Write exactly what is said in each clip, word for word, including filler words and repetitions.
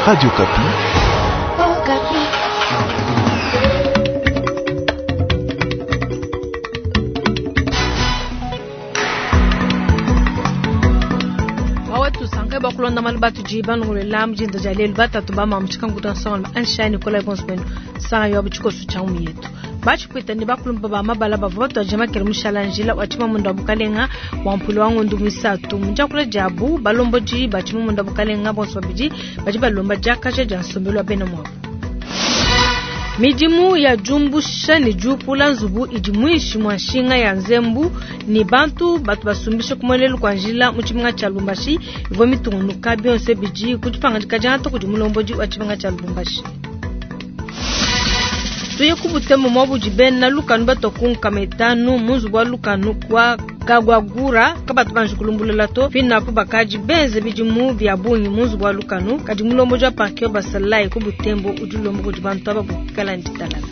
Radio Okapi. Bawetu sanke bakulonda malu batu banongolela mujinda dia lelu batatu ba mamu tshikanguta nsonga anshani kola bonso benu sanga yo butshikosu tsha mu yetu bachipwita ne bakulumba ba mabala bavua batuaje makele mushala njila wa tshimamunda wa bukalenga wa mpulu wa ngondu misatu munjakula jabu balomboji ba tshimamunda bukalenga bonso babidi badi balomba diakaja dia nsombelu wa bena mwabo. Midimu ya jumbusha ne jupula nzubu idi mwishi mwa nshinga ya nzembu ni bantu batu basumbisha kumwelelu kwa njila mu tshimenga tsha Lubumbashi ivua mitungunuka bionso bidi kudipanga dianta kudi mulomboji wa tshimenga tsha Lubumbashi. Tuye kubutemo mwabu bena lukanu batokunka metanu munzubu wa lukanu kwa Kagwagura kabatu banji kulumbulela to pina po bakaji benze bidimu bya bungi munzubu wa lukanu kadi mulomboji wa parke basalai ku butembo udilombo kudi bantu aba bukala nditalala.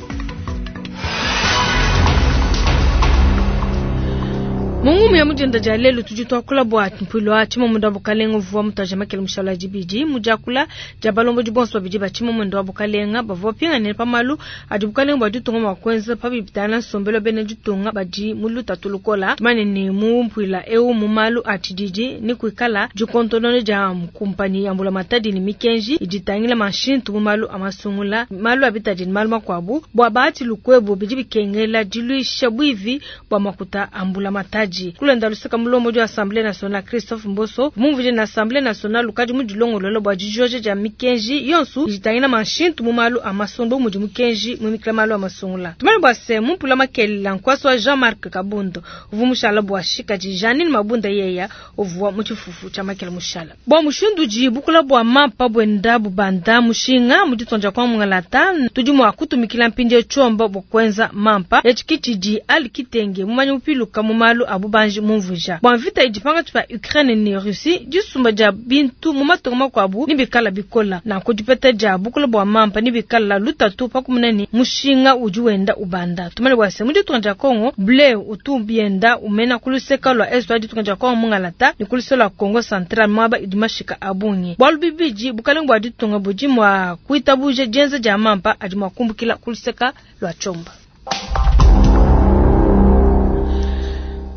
Mungu ya mujenda ja lelu tudi twakula bwa mpwilo wa tshimamunda wa bukalenga uvua mutaja makele mushala dibidi mujakula ja balomboji bonso babidi ba tshimamunda wa bukalenga bavua pingane pa malu adi bukalenga bua ditunga mua kuenza pa bibitana nsombelo bene ditunga badi mu lutatu lukola tumane ne mu mpwila eu mu malu a tshididi ni kuikala dikontonone ja kumpani ya mbula matadi ni mikenji iditangila mashintu mu malu amasungula malu abitadi ni malu makwabu bua bahati lukwebo bidi bikengela diluisha bwivi bua makuta ambula matadi. Kulenda lusaka mulombo du Assemblée nationale Christophe Mboso mumvuje na Assemblée nationale lukadi mu dilongololo bwa dijoje ja mikenji yonsu jitangina mashintu mu malu amasondo mu mukenji mu mikla malu amasungula tumane bwa se mumpula makela nkwaso wa Jean-Marc Kabundo uvumushala bwa shika ji Janine Mabunda yeya uvuwa mu tshifufu tsha makela mushala bwa mushindu ji bukula bwa mampa bwenda bubanda mushinga mu ditonja kwa mungalata tudi mwa kutumikila mpindi chomba bwa kwenza mampa echikichi ji alikitenge mumanyi mupiluka mu malu abu banji mumvuja bwa mvita idipanga tupa Ukraine ni Russie disumba ja bintu mu matongo makwabu nibikala bikola na kudipeta ja bukula bwa mampa nibikala lutatu pakumunani mushinga udi wenda ubanda tumale bwa se mu ditunga Kongo blé utumbienda umena kuluseka lwa est wa ditunga Kongo mungalata ni kuluseka lwa Kongo central mwaba idimashika abunye bwalu bibiji bukalenga bwa ditunga buji mwa kuitabuje jenza ja mampa adi mwa kumbukila kuluseka lwa chomba.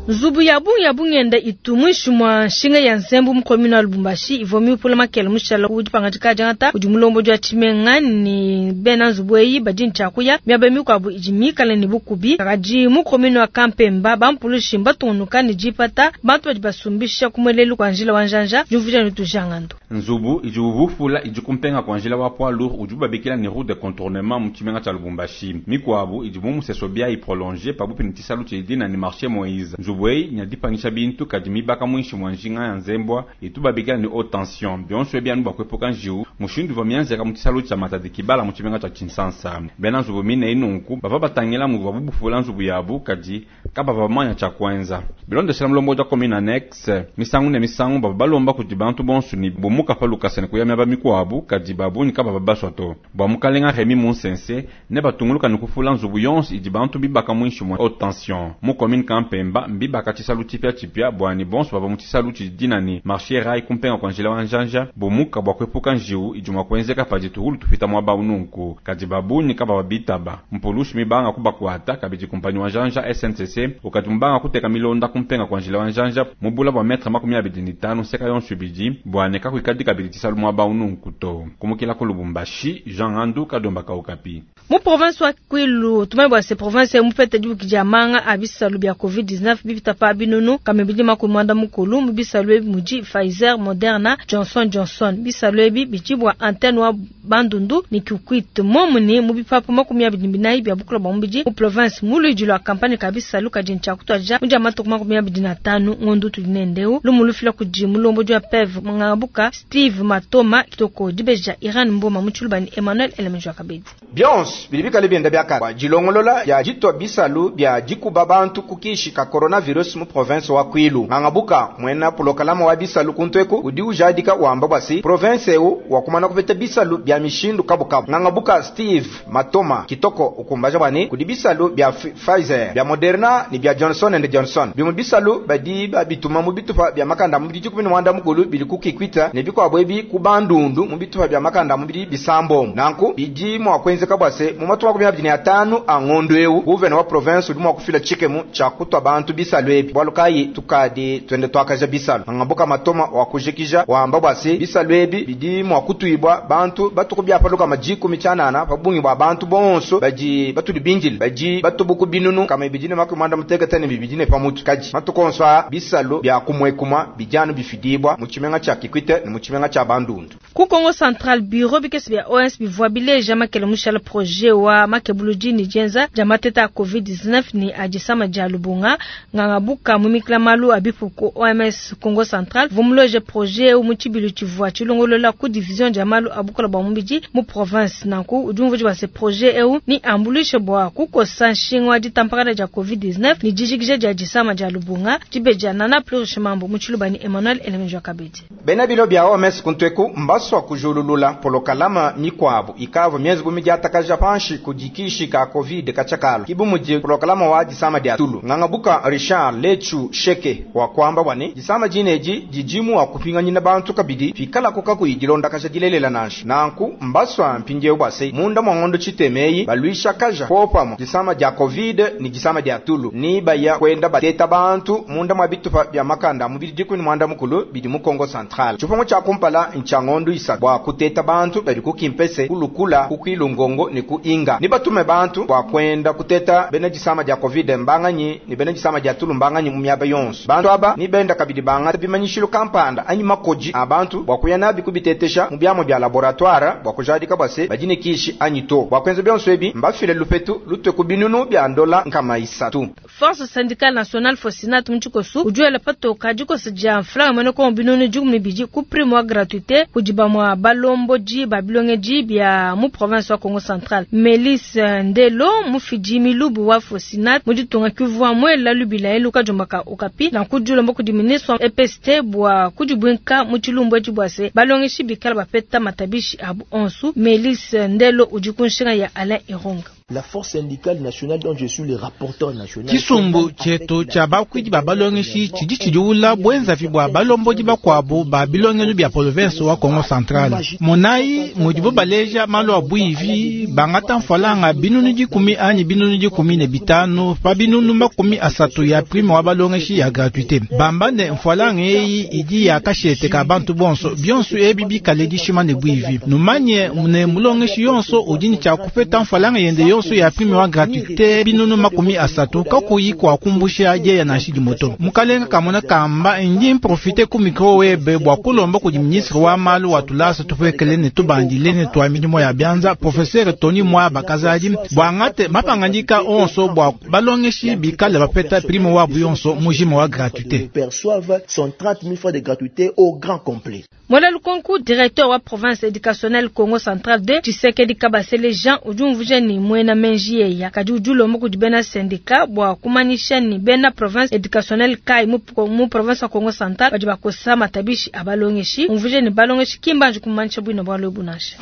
Nzubu ya bungi ya bungenda itu mwishi mwa nshinga ya nzembu mu commune wa Lubumbashi ivua miupula makele mushala udi pangadika diangata udi mulomboji wa tshimenga ni bena nzubu eyi badi ntshakuya miaba mikuabu idi mikale ne bukubi kadi mu commune wa Kampemba bampulushi mbatungunuka ne dipata bantu badi basumbisha kumwelelu kwa njila wa njanja diumvuija ne tujangando. Nzubu idi uvufula idi kumpenga kwa njila wa poids lourd udi babikila ne route de contournement mu tshimenga tsha Lubumbashi mikuabu idi mu museso bia iprolonger pabupi ne tshisalu tshidina ne marché Moïse. Nzubu eyi nyadipangisha bintu kadi mibaka mwinshi mwa njinga ya nzembwa itubabikila ni haute tension bionso ebyanu bakwepuka njiwu mushindu va mianzeka mu tshisalu tsha Matadi Kibala mu tshimenga tsha Kinshasa bena nzubu mine inunku bava batangila muvua bubufula nzubu yabu kadi kabava bamanya tsha kwenza bilondeshela mulombo ja commune annexe misangu ne misangu bava balomba kudi bantu bonso ni bumuka pa lukasa ne kuya miaba mikuabu kadi babunyi kabava baswa to bwa mukalenga Remy Munsense ne batunguluka ne kufula nzubu yonso idi bantu bibaka mwinshi mwa haute tension mu commune Kampemba mbibaka tshisalu tshipia tshipia bwani bonso bava mu tshisalu tshidina ni marché rai kumpenga kwa njila wa njanja bomuka bwa kwepuka njiwu idi mwa kuenzeka padi tuhulu tupita mwaba ununku kadi babunyi kabava bitaba mpulushi mibanga kubakwata kabidi kumpanyi wa njanja S N C C ukati mubanga kuteka milonda kumpenga kwa njila wa njanja mubula bwa metre makumi abidi ni tano seka yonso ibidi bwane kakuikadi kabidi tshisalu mwaba ununku to kumukila ku Lubumbashi Jean Andu Kadomba Kaukapi. Mu province wa Kwilu tumai bwa se province mupete dibuki dia manga abisalu bya covid dix-neuf bibita pa binunu kamebidi makumwanda mukulu mu bisalu ebi muji Pfizer, Moderna, Johnson Johnson bisalu ebi bijibwa antenne wa Bandundu ni Kikwit momuni mu bipapu makumi abidi binayi bya bukula bwa mubidi mu province muluji lwa kampani ka bisalu kadi ntshakutuaja muja matuku makumi abidi na tanu ngondu tudinendeu lumulufila kuji mulombo jwa P E V Mwangabuka Steve Matoma Kitoko dibeja Iran Mboma Mutshulubani Emmanuel Elemejwa Kabedi. Bionso bidi bikale bienda biakane dilongolola dia ditwa bisalu bia dikuba bantu ku kishi ka coronavirus mu province wa Kwilu. Ngangabuka mwena pulokalama wa bisalu kuntweku udi ujadika wamba bwasi province eu wakumana kupeta bisalu bia mishindu kabukabu. Ngangabuka Steve Matoma Kitoko ukumbaja bwani kudi bisalu bia Pfizer bia Moderna ni bia Johnson and Johnson. Bimu bisalu badi babituma mu bitupa bia makanda mu bidi kumi mwanda mukulu bili kukikwita ne bikwabo ebi ku bandundu mu bitupa bia makanda mu bidi bisambo. Nanku bidi mwa kwenzeka bwase mu matuku makumi abiri na atanu a ngondo eu gouverneur wa province udi mwa kufila chikemu cha kutwa bantu bisalu ebi. Bwalu kayi tukadi twende twakaja bisalu. Ngangabuka Matoma wa kujikija wamba bwase bisalu ebi bidi mwa kutuibwa bantu batuku byapaluka majiku michanana pabungi bwa bantu bonso badi batuli binjili badi batubuku binunu kama ibidine makumi mwanda mutekete ne bibidine pamutu kaji matukonso bisalu bya kumwekuma bijano bifidibwa mu chimenga cha Kikwite ne mu chimenga cha Bandundu. Ku Kongo Central bureau bikesi bya O S bivwa bileja makele mushala projet wa makebuludi ni jenza jamateta covid dix-neuf ni ajisama ja lubunga ngangabuka mumikla malu abipuko O M S Kongo Central vumuloje projet u muchibilu chivwa chilongolola ku division ja malu abukola bwa mubiji mu province nanku ujumvuji wa se projet eu ni ambulishe bwa kukosa nshingwa ditampakana ja covid dix-neuf ni jijikije ja jisama ja lubunga jibeja nana plurichemambo muchiluba ni Emmanuel Elemenjo Kabedi. Bena bilo bya O M S kuntweku mbaswa kujululula polokalama mikwabu ikava miezi bumi jatakaja panshi kujikishi ka covid kachakalo kibumuji polokalama wa jisama dia tulu. Ngangabuka Richard Lechu Sheke wa kwamba bwane jisama jineji jijimu wa kupinganyina bantu kabidi fikala kuka kuyidilonda kasha dilelela nashi nanku mbaswa mpinje ubase munda mwangondo chitemeyi balwisha kaja popamo jisama dia covid ni jisama dia tulu ni baya kwenda bateta bantu munda mwa bitupa bya makanda mubili dikuni mwanda mukulu bidi mu Kongo Central chipongo cha kumpala nchangondo isa bwa kuteta bantu bali kukimpese kulukula kukwilungongo ni kuinga ni batume bantu bwa kwenda kuteta bene jisama dia covid mbanganyi ni bene jisama dia tulu mbanganyi mu myaba yonso bantu aba ni benda kabidi banga bimanyishilo kampanda anyi makoji abantu bwa kuyana bikubitetesha mu byamo bya laboratoire bwa kujadika bwase bajine kishi anyi to bwa kwenza byonso ebi mbafile lupetu lutwe kubinunu bya ndola nkama isatu. Force syndicale nationale Fosinat mchikosu ujuela patoka jikosu ja mflanga mwene kwa binunu jugu mibiji ku primo gratuité kujiba mwa balomboji babilongeji bya mu province wa Kongo Central. Melis Ndelo mufiji milubu wa Fosinat mujitunga kuvwa mwela lubila eluka jombaka okapi na kujula mboku diminiswa E P S T bwa kujibwinka muchilumbu ejibwase balongeshi bikala bapeta matabishi abu onsu. Melis Ndelo ujikunshinga ya Alain Ironga. La force syndicale nationale dont je suis le rapporteur national. Chisumbu chetu cha bakwidi ba balongeshi chidi chidiula bwenza fi bwa balomboji bakwabu ba bilongelu bya province wa Kongo Central. Monai mudibu baleja malo abwivi bangata mfalanga binunu dikumi anyi binunu dikumi ne bitano pa binunu makumi asatu ya prime wa balongeshi ya gratuité. Bamba ne mfalanga eyi idi ya kashete ka bantu bonso bionso ebi bikale dishima ne bwivi. Numanye ne mulongeshi yonso udini cha kupeta mfalanga yende yonso ya prime wa gratuité binunu makumi asatu kakuyi kwa kumbusha je ya nashidi moto. Mukalenga kamona kamba ndi profite ku micro web bwa kulomba ku ministre wa malu wa tulasa tupekele ne tubandile ne twa milimo ya byanza professeur Tony Mwaba Kazadi bwa ngate mapangandika onso bwa balongeshi bikale bapeta prime wa buyonso mujima wa gratuité. Perçoivent son trente mille francs de gratuité au grand complet. Mwala Lukonku, directeur wa province éducationnelle Congo Central deux, Tshisekedi Kabasele Jean ujumvuje ni mwena menji ya kadi ujulo moko di bena syndicat bwa kumanisha ni bena province éducationnelle kai mu, mu province wa Congo Central badi bakosa matabishi abalongeshi umvuje ni balongeshi kimbanje kumanisha bwino bwa lobunasha.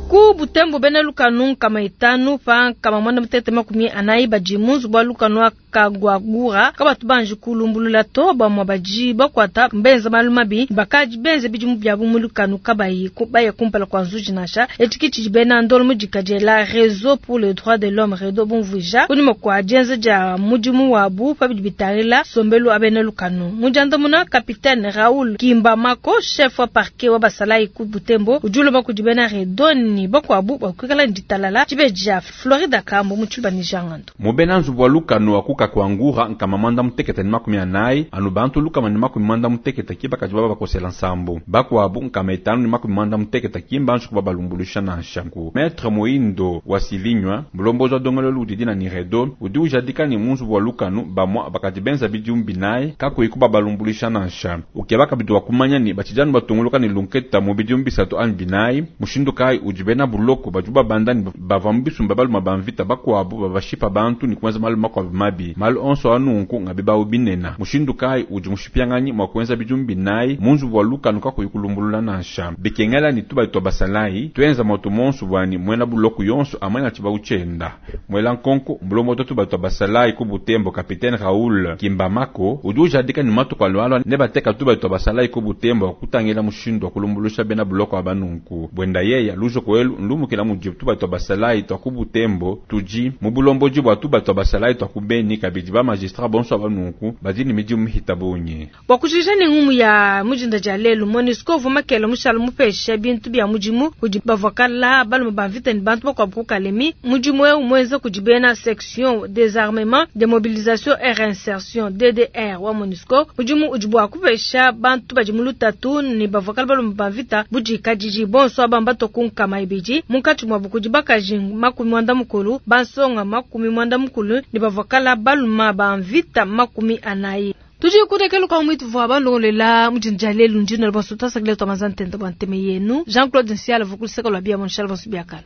Ku Butembo bena lukanu kama itanu pa kama mwana mutete makumi anayi baji munzu bwa lukanu akagwagura kabatu banji kulumbulula to ba mwa baji bakwata mbenza malumabi bakaji benze bijimu bya mu lukanu kabayi baye kumpala kwa nzuji nasha etikichi bena ndolo mujikaje la réseau pour le droit de l'homme redo bonvuja kunyuma kwa jenze ja mujimu wabu pa bitarila sombelu abena lukanu mujanda muna capitaine Raoul Kimbamako chef wa parquet wa basalai ku Butembo ujulo bakujibena redo ne bakuabu bua kuikala ne ditalala. Dibeji dia Florida Kambo mu Tshiluba ne Jangandu. Mubena nzubu wa lukanu wa kuka kuangura nkama mwanda mutekete ne makumi anayi anu bantu lukama ne makumi mwanda mutekete ki bakadi baba bakosela nsambu bakuabu nkama itanu ne makumi mwanda mutekete ki mbanji kuba balumbuluisha nansha ku Maître Moindo wa Silinywa mulombozi wa dongololo udi dina ni redo udi ujadika ni mu nzubu wa lukanu bamwa bakadi benza bidimu binayi kakuyi kuba balumbuluisha nansha ukeba kabidi wa kumanya ni batshijanu batunguluka ni lunketa mu bidimu bisatu anyi binayi mushindu kayi udi bena buloko badi babanda ni bava mu bisumba baluma ba mvita bakuabu babashipa bantu ni kuenza malu makuabu mabi malu onso anunku ngabi bawu binena mushindu kayi udi mushipianganyi mwa kuenza bidimu binayi mu nzubu wa lukanu kakuyi kulumbulula nansha bikengela ni tuba twa basalayi tuenza moto monso bwani mwena buloko yonso amwena tshibawu tshienda mwela nkonko mulombo tuba twa basalayi ku Butembo capitaine Raoul Kimbamako udi ujadika ni matuku alwalwa ne bateka tuba twa basalayi ku Butembo kutangila mushindu wa kulumbulusha bena buloko abanunku bwenda yeya lujo kwelu ndumukila mudi tuba twa basalayi twa ku Butembo tuji mu bulomboji bwa tuba twa basalayi twa ku Beni kabidi ba magistrat bonso abanunku badi ni midimu mihita bunyi bwa kujija ne ngumu ya mujinda dia lelu MONUSCO uvua makela mushala mupesha bintu bia mudimu kudi bavakala balume ba mvita ni bantu bakuabu ku Kalemi mudimu eu muenza kudi bena section désarmement démobilisation et réinsertion D D R wa MONUSCO mudimu udi bua kupesha bantu badi mu lutatu ni bavakala balume ba mvita budikadidi bonso abamba to ku nkama ibidi munkatshi muabu kudi bakaji makumi mwanda mukulu bansonga makumi mwanda mukulu ni bavakala balume ba mvita makumi anayi. Tudi kudekelu kwa mwitu vwa balongolela mujinja lelu njino bonso tasakile to mazantenda bwa nteme yenu Jean-Claude Nsiala vukuliseka lwa bia mon Charles Bonsu biakana.